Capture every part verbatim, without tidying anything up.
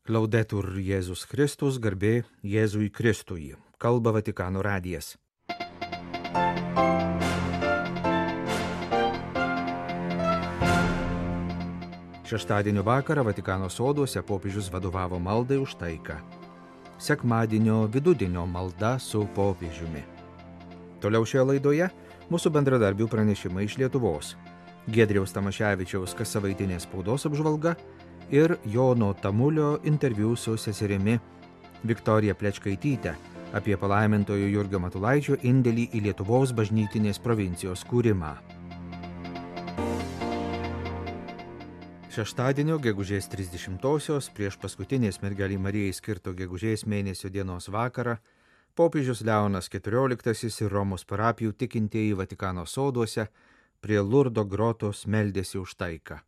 Laudetur Jėzus Kristus, garbė Jėzui Kristui. Kalba Vatikano radijas. Šeštadienio vakarą Vatikano soduose popiežius vadovavo maldai už taiką. Sekmadienio vidudienio malda su popiežiumi. Toliau šioje laidoje mūsų bendradarbių pranešimai iš Lietuvos. Giedriaus Tamaševičiaus kassavaitinės spaudos apžvalga ir Jono Tamulio interviu su seserimi Viktorija Plečkaityte apie palaimintojo Jurgio Matulaičio indėlį į Lietuvos bažnytinės provincijos kūrimą. Šeštadienio gegužės trisdešimtosios prieš paskutinės mergelei Marijai skirto gegužės mėnesio dienos vakarą popiežius Leonas keturioliktasis ir Romos parapijų tikintieji Vatikano soduose prie Lurdo grotos meldėsi už taiką.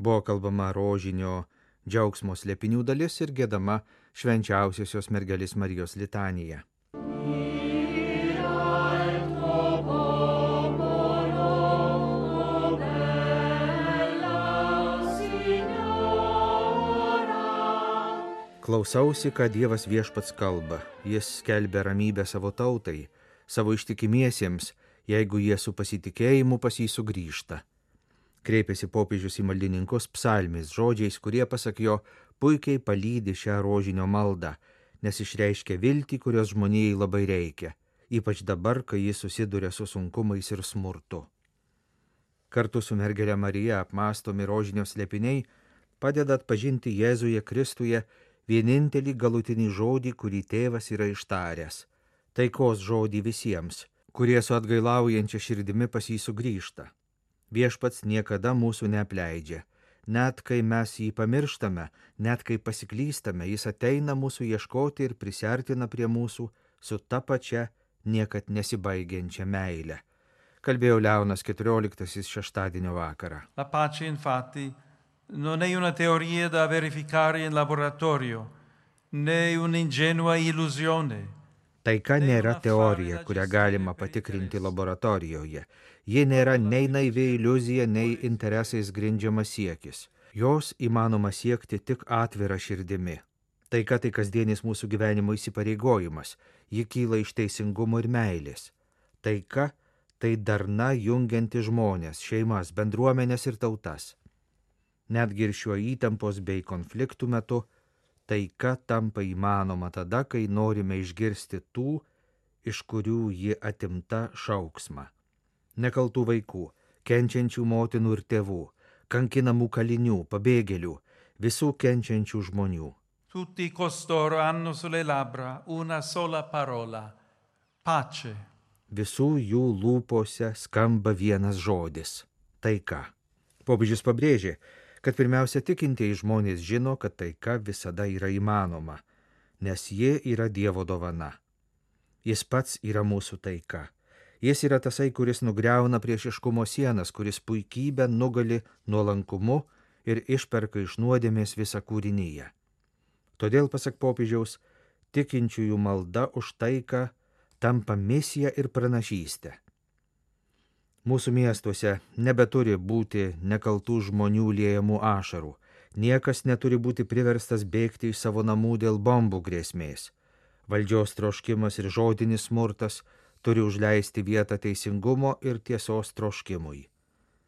Buvo kalbama rožinio džiaugsmo slėpinių dalis ir giedama švenčiausiosios mergelės Marijos litanija. Klausausi, ką Dievas viešpats kalba. Jis skelbia ramybę savo tautai, savo ištikimiesiems, jeigu jie su pasitikėjimu pas jį sugrįžta. Kreipėsi popiežius į maldininkus psalmis žodžiais, kurie, pasak jo, puikiai palydi šią rožinio maldą, nes išreiškia viltį, kurios žmonijai labai reikia, ypač dabar, kai jis susiduria su sunkumais ir smurtu. Kartu su mergelė Marija apmąstomi rožinio slėpiniai padeda atpažinti Jėzuje Kristuje vienintelį galutinį žodį, kurį tėvas yra ištaręs, taikos žodį visiems, kurie su atgailaujančia širdimi pas jį sugrįžta. Viešpats niekada mūsų neapleidžia. Net kai mes jį pamirštame, net kai pasiklystame, jis ateina mūsų ieškoti ir prisiartina prie mūsų su ta pačia niekad nesibaigiančia meile. Kalbėjo Leonas keturioliktasis šeštadienio vakarą. La pace, infatti, non è una teoria da verificare in laboratorio, né un'ingenua illusione. Taika nėra teorija, kurią galima patikrinti laboratorijoje. Ji nėra nei naivi iliuzija, nei interesais grindžiamas siekis. Jos įmanoma siekti tik atvira širdimi. Taika tai kasdienis mūsų gyvenimo įsipareigojimas. Ji kyla iš teisingumo ir meilės. Taika tai darna jungianti žmonės, šeimas, bendruomenės ir tautas. Netgi ir šiuo įtampos bei konfliktų metu taika tampa įmanoma tada, kai norime išgirsti tų, iš kurių ji atimta šauksmą. Nekaltų vaikų, kenčiančių motinų ir tėvų, kankinamų kalinių, pabėgėlių, visų kenčiančių žmonių. Tutti costoro hanno sulle labbra una sola parola, pace. Visų jų lūpose skamba vienas žodis – taika. Popiežius pabrėžė, kad pirmiausia tikintieji žmonės žino, kad taika visada yra įmanoma, nes ji yra Dievo dovana. Jis pats yra mūsų taika. Jis yra tasai, kuris nugriauna priešiškumo sienas, kuris puikybę nugali nuolankumu ir išperka iš nuodėmės visą kūrinyje. Todėl, pasak popiežiaus, tikinčiųjų malda už taiką tampa misija ir pranašystė. Mūsų miestuose nebeturi būti nekaltų žmonių liejamų ašarų. Niekas neturi būti priverstas bėgti iš savo namų dėl bombų grėsmės. Valdžios troškimas ir žodinis smurtas turi užleisti vietą teisingumo ir tiesos troškimui.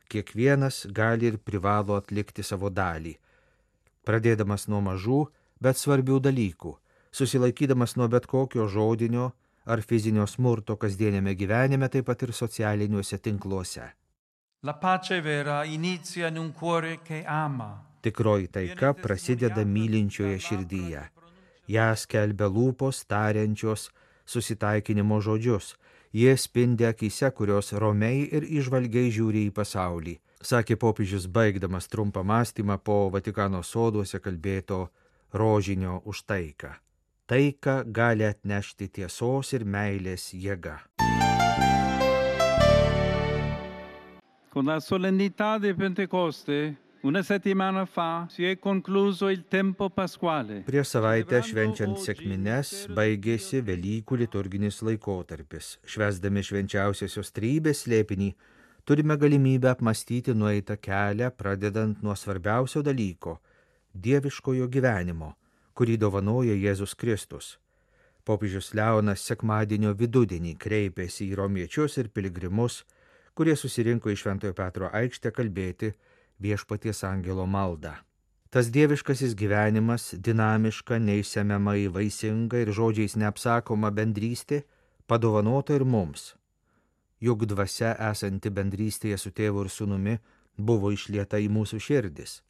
Kiekvienas gali ir privalo atlikti savo dalį, pradėdamas nuo mažų, bet svarbių dalykų, susilaikydamas nuo bet kokio žodinio ar fizinio smurto kasdienėme gyvenime, taip pat ir socialiniuose tinkluose. La pace vera inizia in un cuore che ama. Tikroji taika prasideda mylinčioje širdyje. Ją skelbia lūpos tariančios susitaikinimo žodžius. Jie spindi akyse, kurios romiai ir įžvalgiai žiūri į pasaulį, sakė popiežius baigdamas trumpą mąstymą po Vatikano soduose kalbėto rožinio už taiką. Taika gali atnešti tiesos ir meilės jėga. Con la solennità di Pentecoste, una settimana fa, si è concluso il tempo pasquale. Prieš savaitę švenčiant sekmines baigėsi Velykų liturginis laikotarpis. Švęsdami švenčiausiosios trejybės slėpinį, turime galimybę apmąstyti nueitą kelią, pradedant nuo svarbiausio dalyko – dieviškojo gyvenimo, kurį dovanoja Jėzus Kristus. Popiežius Leonas sekmadienio vidudienį kreipėsi į romiečius ir piligrimus, kurie susirinko į Šventojo Petro aikštę kalbėti Viešpaties angelo maldą. Tas dieviškasis gyvenimas, dinamiška, neišsemiamai vaisinga ir žodžiais neapsakoma bendrystė, padovanota ir mums. Juk dvasia esanti bendrystėje su tėvu ir sūnumi buvo išlieta į mūsų širdis.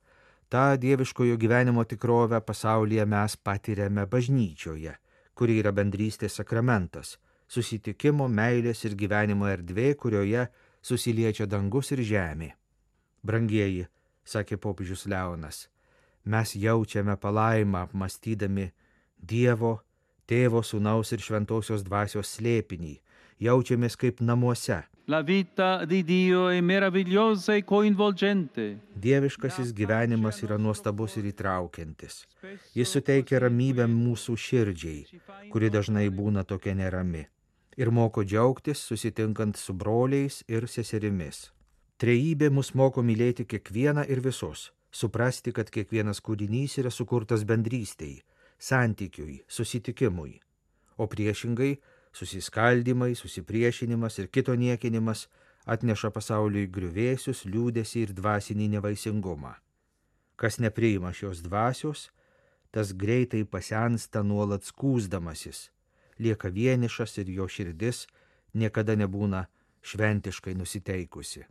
Ta dieviškojo gyvenimo tikrovę pasaulyje mes patiriame bažnyčioje, kuri yra bendrystės sakramentas, susitikimo, meilės ir gyvenimo erdvė, kurioje susiliečia dangus ir žemė. Brangieji, sakė popiežius Leonas, mes jaučiame palaimą apmastydami Dievo, Tėvo, Sūnaus ir Šventosios dvasios slėpinį, jaučiamės kaip namuose. La vita di Dio è meravigliosa e coinvolgente. Dieviškasis gyvenimas yra nuostabus ir įtraukiantis. Jis suteikia ramybę mūsų širdžiai, kuri dažnai būna tokia nerami, ir moko džiaugtis susitinkant su broliais ir seserimis. Trejybė mus moko mylėti kiekvieną ir visus, suprasti, kad kiekvienas kūrinys yra sukurtas bendrystei, santykiui, susitikimui, o priešingai susiskaldymai, susipriešinimas ir kito niekinimas atneša pasauliui griuvėsius, liūdesį ir dvasinį nevaisingumą. Kas nepriima šios dvasios, tas greitai pasensta nuolat skųsdamasis, lieka vienišas ir jo širdis niekada nebūna šventiškai nusiteikusi.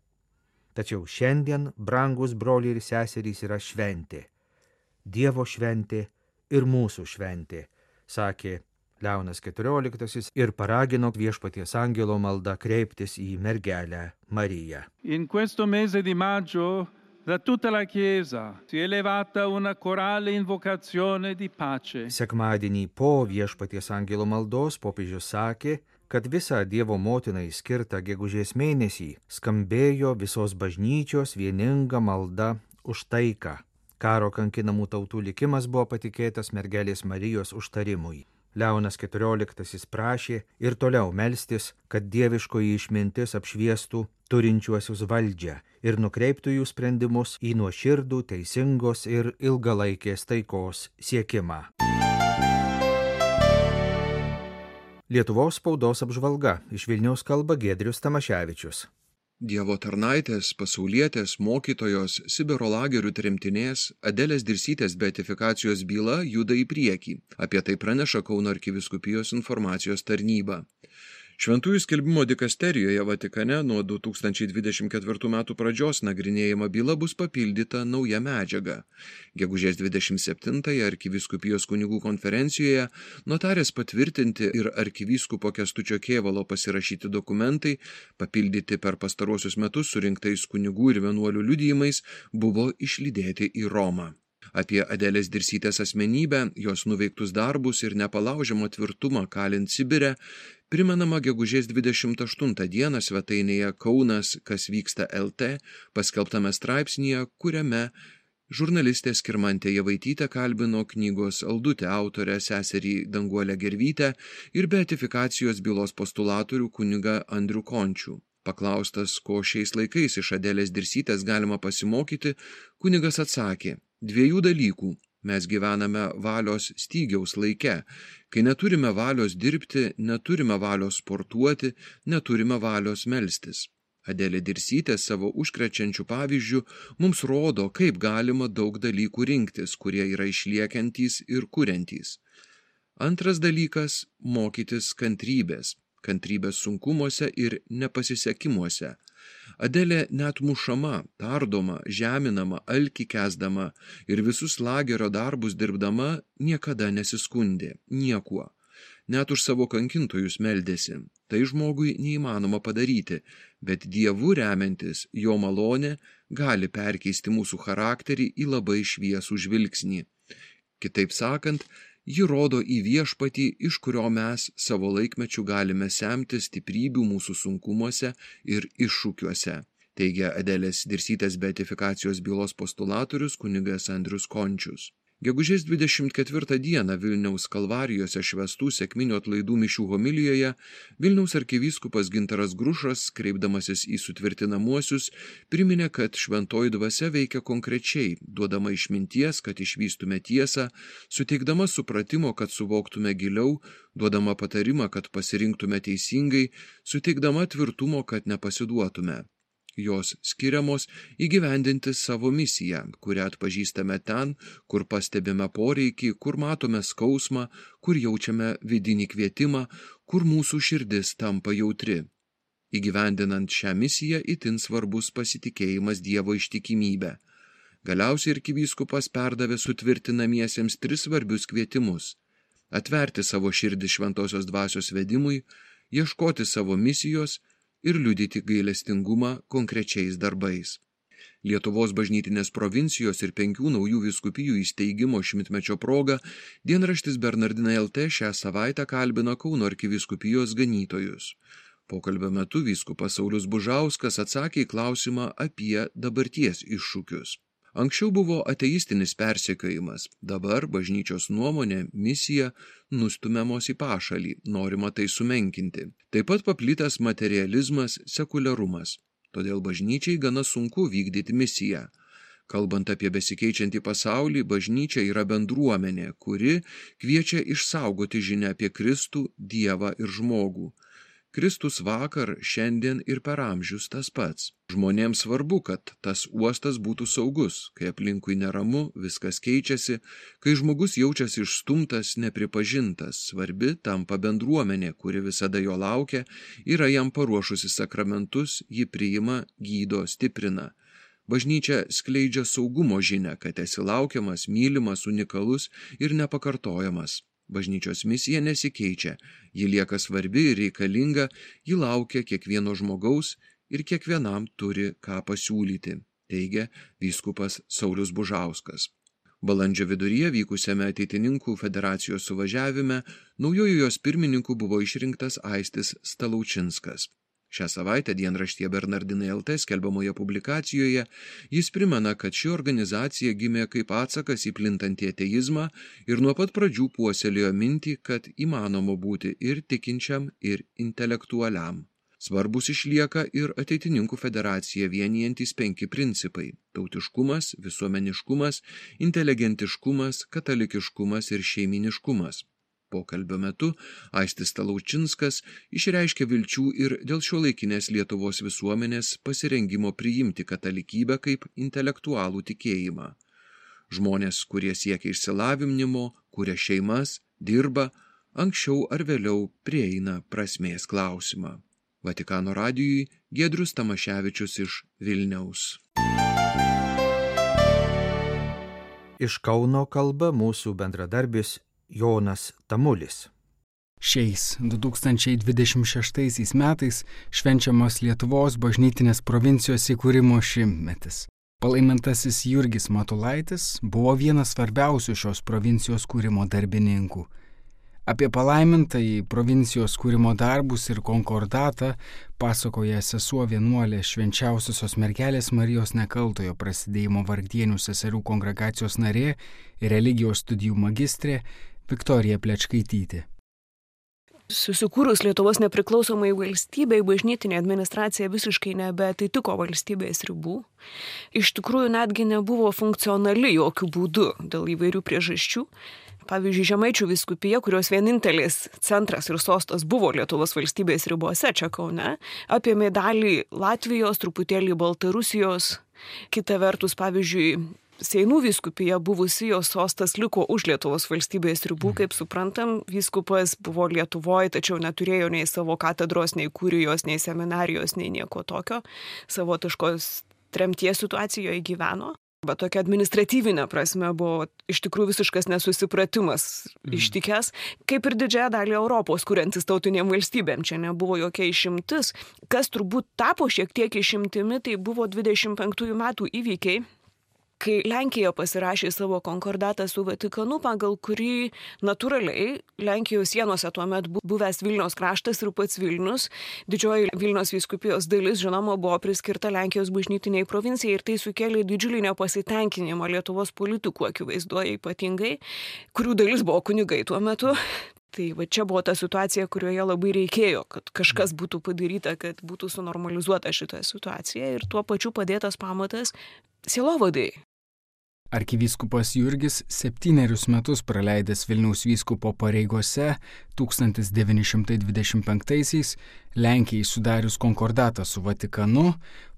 Tačiau šiandien, brangus broliai ir seserys, yra šventė. Dievo šventė ir mūsų šventė, sakė Leonas keturioliktasis ir paragino Viešpaties angelo maldą kreiptis į mergelę Mariją. In questo mese di maggio da tutta la Chiesa si è elevata una corale invocazione di pace. Sekmadienį po Viešpaties angelo maldos popiežius sakė, kad visą Dievo motinai skirtą gegužės mėnesį skambėjo visos bažnyčios vieninga malda už taiką. Karo kankinamų tautų likimas buvo patikėtas mergelės Marijos užtarimui. Leonas keturioliktasis prašė ir toliau melstis, kad dieviškoji išmintis apšviestų turinčiuosius valdžią ir nukreiptų jų sprendimus į nuoširdų, teisingos ir ilgalaikės taikos siekimą. Lietuvos spaudos apžvalga. Iš Vilniaus kalba Giedrius Tamaševičius. Dievo tarnaitės, pasaulietės, mokytojos, Sibiro lagerių tremtinės Adelės Dirsytės beatifikacijos byla juda į priekį. Apie tai praneša Kauno arkivyskupijos informacijos tarnyba. Šventųjų skelbimo dikasterijoje Vatikane nuo du tūkstančiai dvidešimt ketvirtų metų pradžios nagrinėjama byla bus papildyta nauja medžiaga. Gegužės dvidešimt septintąją arkivyskupijos kunigų konferencijoje notarės patvirtinti ir arkivyskupo Kęstučio Kėvalo pasirašyti dokumentai, papildyti per pastaruosius metus surinktais kunigų ir vienuolių liudijimais, buvo išlydėti į Romą. Apie Adelės Dirsytės asmenybę, jos nuveiktus darbus ir nepalaužiamą tvirtumą kalint Sibire, primenama gegužės dvidešimt aštuntą dieną svetainėje Kaunas, kas vyksta L T, paskelbtame straipsnyje, kuriame žurnalistė Skirmantė Javaitytė kalbino knygos Aldutė autorę seserį Danguolę Gervytę ir beatifikacijos bylos postulatorių kunigą Andrių Končių. Paklaustas, ko šiais laikais iš Adelės Dirsytės galima pasimokyti, kunigas atsakė: dviejų dalykų. Mes gyvename valios stygiaus laike. Kai neturime valios dirbti, neturime valios sportuoti, neturime valios melstis. Adelė Dirsytė savo užkrečiančių pavyzdžių mums rodo, kaip galima daug dalykų rinktis, kurie yra išliekiantys ir kuriantys. Antras dalykas – mokytis kantrybės. Kantrybės sunkumuose ir nepasisekimuose. Adelė net mušama, tardoma, žeminama, alkį kesdama ir visus lagerio darbus dirbdama niekada nesiskundė, niekuo. Net už savo kankintojus meldėsi. Tai žmogui neįmanoma padaryti, bet Dievu remiantis, jo malonė gali perkeisti mūsų charakterį į labai šviesų žvilgsnį. Kitaip sakant, ji rodo į viešpatį, iš kurio mes savo laikmečių galime semti stiprybių mūsų sunkumuose ir iššūkiuose, teigia Adelės Dirsytės beatifikacijos bylos postulatorius kunigas Andrius Končius. Gegužės dvidešimt ketvirtą dieną Vilniaus Kalvarijose švęstų sekminių atlaidų mišių homilijoje Vilniaus arkivyskupas Gintaras Grušas, kreipdamasis į sutvirtinamuosius, priminė, kad šventoji dvasia veikia konkrečiai, duodama išminties, kad išvystume tiesą, suteikdama supratimo, kad suvoktume giliau, duodama patarimą, kad pasirinktume teisingai, suteikdama tvirtumo, kad nepasiduotume. Jos skiriamos įgyvendinti savo misiją, kurią atpažįstame ten, kur pastebime poreikį, kur matome skausmą, kur jaučiame vidinį kvietimą, kur mūsų širdis tampa jautri. Įgyvendinant šią misiją itin svarbus pasitikėjimas Dievo ištikimybė. Galiausiai arkivyskupas perdavė sutvirtinamiesiems tris svarbius kvietimus: atverti savo širdį šventosios dvasios vedimui, ieškoti savo misijos ir liudyti gailestingumą konkrečiais darbais. Lietuvos bažnytinės provincijos ir penkių naujų vyskupijų įsteigimo šimtmečio proga dienraštis Bernardinai L T šią savaitę kalbino Kauno arkivyskupijos ganytojus. Pokalbio metu vyskupas Saulius Bužauskas atsakė į klausimą apie dabarties iššūkius. Anksčiau buvo ateistinis persekiojimas, dabar bažnyčios nuomonė, misija nustumiamos į pašalį, norima tai sumenkinti. Taip pat paplitęs materializmas, sekuliarumas. Todėl bažnyčiai gana sunku vykdyti misiją. Kalbant apie besikeičiantį pasaulį, bažnyčia yra bendruomenė, kuri kviečia išsaugoti žinią apie Kristų, Dievą ir žmogų. Kristus vakar, šiandien ir per amžius tas pats. Žmonėms svarbu, kad tas uostas būtų saugus, kai aplinkui neramu, viskas keičiasi, kai žmogus jaučiasi išstumtas, nepripažintas, svarbi tampa bendruomenė, kuri visada jo laukia, yra jam paruošusi sakramentus, jį priima, gydo, stiprina. Bažnyčia skleidžia saugumo žinią, kad esi laukiamas, mylimas, unikalus ir nepakartojamas. Bažnyčios misija nesikeičia, ji lieka svarbi ir reikalinga, ji laukia kiekvieno žmogaus ir kiekvienam turi ką pasiūlyti, teigia vyskupas Saulius Bužauskas. Balandžio viduryje vykusiame Ateitininkų federacijos suvažiavime naujoju jos pirmininku buvo išrinktas Aistis Stalaučinskas. Šią savaitę dienraštyje Bernardinai L T skelbiamoje publikacijoje jis primena, kad ši organizacija gimė kaip atsakas į plintantį ateizmą ir nuo pat pradžių puoselėjo mintį, kad įmanoma būti ir tikinčiam, ir intelektualiam. Svarbus išlieka ir Ateitininkų federaciją vienijantys penki principai – tautiškumas, visuomeniškumas, inteligentiškumas, katalikiškumas ir šeiminiškumas. Pokalbio metu Aistis Stalaučinskas išreiškė vilčių ir dėl šiuolaikinės Lietuvos visuomenės pasirengimo priimti katalikybę kaip intelektualų tikėjimą. Žmonės, kurie siekia išsilavinimo, kuria šeimas, dirba, anksčiau ar vėliau prieina prasmės klausimą. Vatikano radijui Giedrius Tamaševičius iš Vilniaus. Iš Kauno kalba mūsų bendradarbis Jonas Tamulis. Šiais du tūkstančiai dvidešimt šeštaisiais metais švenčiamas Lietuvos bažnytinės provincijos įkūrimo šimtmetis. Palaimintasis Jurgis Matulaitis buvo vienas svarbiausių šios provincijos kūrimo darbininkų. Apie palaimintąjį provincijos kūrimo darbus ir konkordatą pasakoja sesuo vienuolė Švenčiausiosios mergelės Marijos Nekaltojo prasidėjimo Vargdienių seserių kongregacijos narė ir religijos studijų magistrė Viktorija Plečkaitytė. Susikūrus Lietuvos nepriklausomai valstybei, bažnytinė administracija visiškai nebeatitiko valstybės ribų. Iš tikrųjų netgi nebuvo funkcionali jokių būdų dėl įvairių priežasčių. Pavyzdžiui, Žemaičių vyskupija, kurios vienintelis centras ir sostas buvo Lietuvos valstybės ribose, čia Kaune, apėmė dalį Latvijos, truputėlį Baltarusijos. Kita vertus, pavyzdžiui, Seinų vyskupija buvusi jos sostas liko už Lietuvos valstybės ribų, kaip suprantam, vyskupas buvo Lietuvoje, tačiau neturėjo nei savo katedros, nei kurijos, nei seminarijos, nei nieko tokio. Savotiškos tremties situacijoje gyveno. Bet tokia administratyvinė prasme buvo iš tikrųjų visiškas nesusipratimas mm. ištikęs, kaip ir didžiąją dalį Europos, kuriantis tautinėm valstybėm. Čia nebuvo jokia išimtis. Kas turbūt tapo šiek tiek išimtimi, tai buvo dvidešimt penktųjų metų įvykiai, kai Lenkija pasirašė savo konkordatą su Vatikanu, pagal kurį natūraliai Lenkijos sienose tuomet buvęs Vilniaus kraštas ir pats Vilnius, didžioji Vilniaus vyskupijos dalis, žinoma, buvo priskirta Lenkijos bažnytiniai provincijai ir tai sukėlė didžiulį nepasitenkinimą Lietuvos politikų akivaizduoja ypatingai, kurių dalis buvo kunigai tuo metu. Tai va čia buvo ta situacija, kurioje labai reikėjo, kad kažkas būtų padaryta, kad būtų sunormalizuota šita situacija ir tuo pačiu padėtas pamatas sielovadai. Arkivyskupas Jurgis septynerius metus praleidęs Vilniaus vyskupo pareigose tūkstantis devyni šimtai dvidešimt penktaisiais Lenkijai sudarius konkordatą su Vatikanu,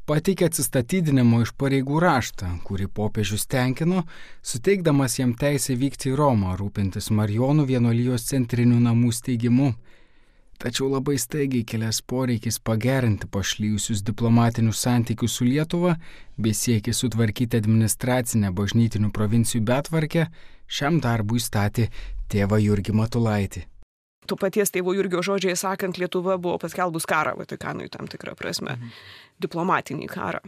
pateikė atsistatydinimo iš pareigų raštą, kurį popiežius tenkino, suteikdamas jam teisę vykti į Romą, rūpintis Marijonų vienuolijos centrinių namų steigimu. Tačiau labai staigiai kilęs poreikis pagerinti pašlijusius diplomatinius santykius su Lietuva bei siekis sutvarkyti administracinę bažnytinių provincijų betvarkę, šiam darbui statė tėvą Jurgį Matulaitį. To paties tėvo Jurgio žodžiai sakant, Lietuva buvo paskelbus karą Vatikanui tam tikrą prasme, mhm. diplomatinį karą.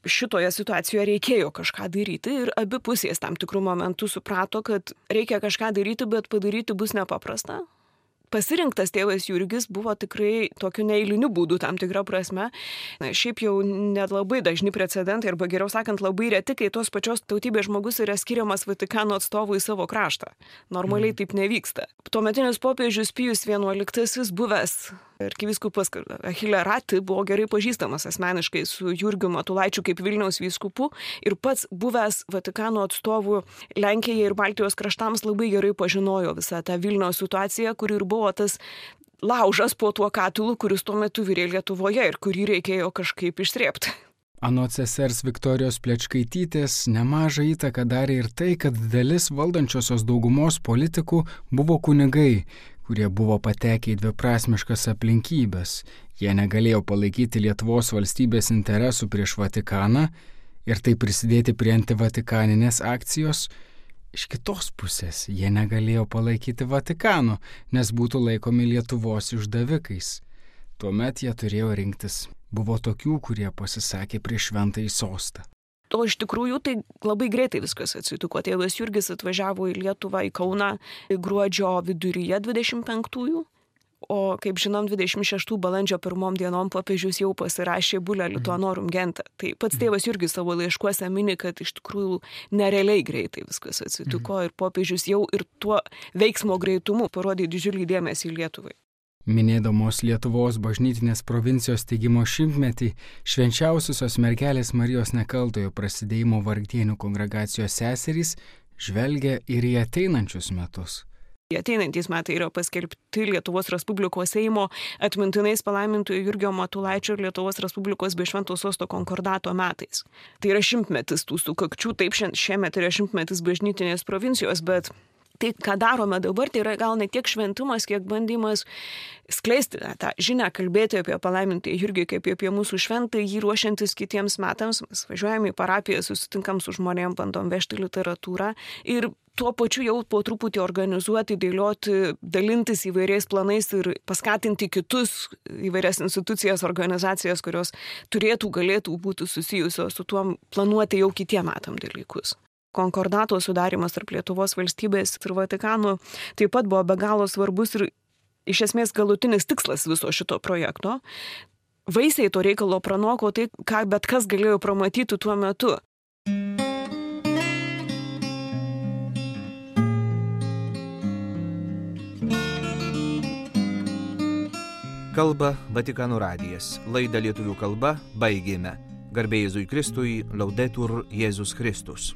Šitoje situacijoje reikėjo kažką daryti ir abi pusės tam tikrų momentų suprato, kad reikia kažką daryti, bet padaryti bus nepaprasta. Pasirinktas tėvas Jurgis buvo tikrai tokiu neeiliniu būdu tam tikrą prasme. Na, šiaip jau net labai dažni precedentai, arba geriau sakant, labai reti, kai tos pačios tautybės žmogus yra skiriamas Vatikano atstovu į savo kraštą. Normaliai mm. taip nevyksta. Tuometinis popiežius Pijus vienuoliktasis buvęs arkivyskupas Achille Ratti buvo gerai pažįstamas asmeniškai su Jurgiu Matulaičiu kaip Vilniaus vyskupu ir pats buvęs Vatikano atstovų Lenkijai ir Baltijos kraštams labai gerai pažinojo visą tą Vilniaus situaciją, kuri ir buvo tas laužas po tuo katilu, kuris tuo metu virė Lietuvoje ir kurį reikėjo kažkaip išsrėbti. Anot sesers Viktorijos Plečkaitytės nemažą įtaką darė ir tai, kad dalis valdančiosios daugumos politikų buvo kunigai, kurie buvo patekę į dviprasmiškas aplinkybės. Jie negalėjo palaikyti Lietuvos valstybės interesų prieš Vatikaną ir taip prisidėti prie antivatikaninės akcijos. Iš kitos pusės, jie negalėjo palaikyti Vatikano, nes būtų laikomi Lietuvos išdavikais. Tuomet jie turėjo rinktis. Buvo tokių, kurie pasisakė prieš šventąjį sostą. O iš tikrųjų tai labai greitai viskas atsitiko. Tėvas Jurgis atvažiavo į Lietuvą, į Kauną gruodžio viduryje dvidešimt penktųjų, o kaip žinom, dvidešimt šeštų balandžio pirmom dienom popiežius jau pasirašė Bulla Lituanorum Gentium. Tai pats tėvas Jurgis savo laiškuose mini, kad iš tikrųjų nerealiai greitai viskas atsitiko ir popiežius jau ir tuo veiksmo greitumu parodė didžiulį dėmesį Lietuvai. Minėdamos Lietuvos bažnytinės provincijos steigimo šimtmetį, švenčiausiosios mergelės Marijos Nekaltojo prasidėjimo Vargdienių kongregacijos seserys žvelgia ir į ateinančius metus. Ateinantys metai yra paskelbti Lietuvos Respublikos Seimo atmintinais palaimintojo Jurgio Matulaičio ir Lietuvos Respublikos bei Švento sosto konkordato metais. Tai yra šimtmetis tų sukakčių, taip šiemet yra šimtmetis bažnytinės provincijos, bet tai, ką darome dabar, tai yra gal ne tiek šventimas, kiek bandymas skleisti tą žinią, kalbėti apie palaimintąjį Jurgį kaip apie mūsų šventą, jį ruošiantis kitiems metams. Mes važiuojame į parapiją, susitinkam su žmonėm, bandom vežti literatūrą ir tuo pačiu jau po truputį organizuoti, dėlioti, dalintis įvairiais planais ir paskatinti kitus įvairias institucijas, organizacijas, kurios turėtų, galėtų būti susijusios su tuo planuoti jau kitiem metam dalykus. Konkordato sudarimas tarp Lietuvos valstybės ir Vatikano taip pat buvo be galo svarbus ir iš esmės galutinis tikslas viso šito projekto. Vaisiai to reikalo pranoko tai, ką bet kas galėjo pramatyti tuo metu. Kalba Vatikano radijas. Laidą lietuvių kalba baigėme. Garbė Jėzui Kristui, Laudetur Jėzus Kristus.